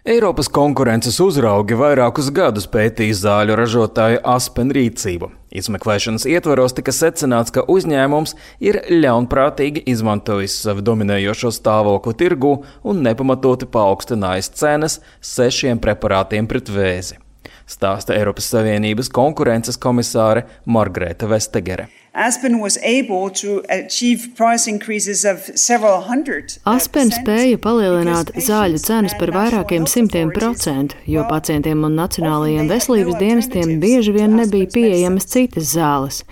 Eiropas konkurences uzraugi vairākus gadus pētīja zāļu ražotāju Aspen rīcību. Izmeklēšanas ietvaros tika secināts, ka uzņēmums ir ļaunprātīgi izmantojis savu dominējošo stāvokli tirgū un nepamatoti paaugstinājis cenas 6 preparātiem pret vēzi. Stāsta Eiropas Savienības konkurences komisāre Margrēta Vestegere. Aspen spēja palielināt zāļu cenas par vairākiem 100%, jo pacientiem un nacionālajiem veselības dienestiem bieži vien nebija pieejamas citas zāles.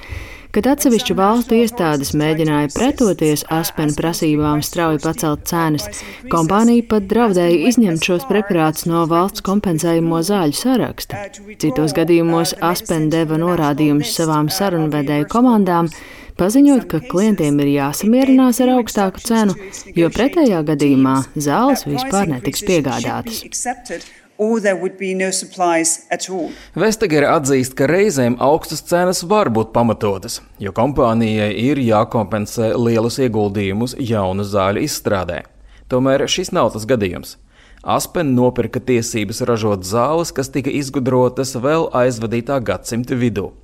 Kad atsevišķu valstu iestādes mēģināja pretoties Aspen prasībām strauji pacelt cenas, kompānija pat draudēja izņemt šos preparātus no valsts kompensējumo zāļu saraksta. Citos gadījumos Aspen deva norādījumus savām sarunvedēju komandām, paziņot, ka klientiem ir jāsamierinās ar augstāku cenu, jo pretējā gadījumā zāles vispār netiks piegādātas. Vestegere atzīst, ka reizēm augstas cenas var būt pamatotas, jo kompānijai ir jākompensē lielus ieguldījumus jaunu zāļu izstrādē. Tomēr šis nav tas gadījums. Aspen nopirka tiesības ražot zāles, kas tika izgudrotas vēl aizvadītā gadsimta vidū.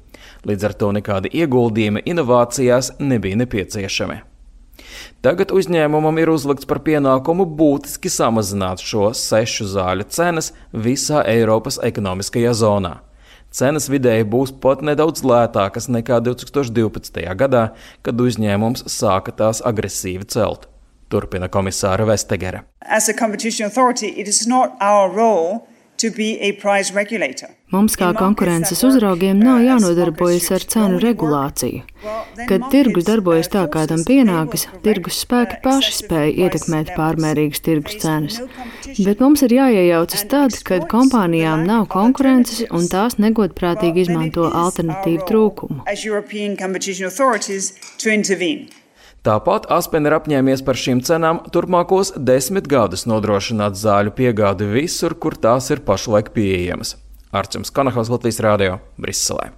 Līdz ar to nekādi ieguldījumi inovācijās nebija nepieciešami. Tagad uzņēmumam ir uzlikts par pienākumu būtiski samazināt šo 6 zāļu cenas visā Eiropas ekonomiskajā zonā. Cenas vidēji būs pat nedaudz lētākas nekā 2012. gadā, kad uzņēmums sāka tās agresīvi celt. Turpina komisāra Vestegere. Mums kā konkurences uzraugiem nav jānodarbojas ar cenu regulāciju. Kad tirgus darbojas tā, kā tam pienākas, tirgus spēki paši spēj ietekmēt pārmērīgas tirgus cenas. Bet mums ir jāiejaucas tad, kad kompānijām nav konkurences un tās negodprātīgi izmanto alternatīvu trūkumu. Tāpat Aspen ir apņēmies par šīm cenām turpmākos 10 gadus nodrošināt zāļu piegādi visur, kur tās ir pašlaik pieejamas. Arčuns Kanahaus, Latvijas Rādio, Briselē.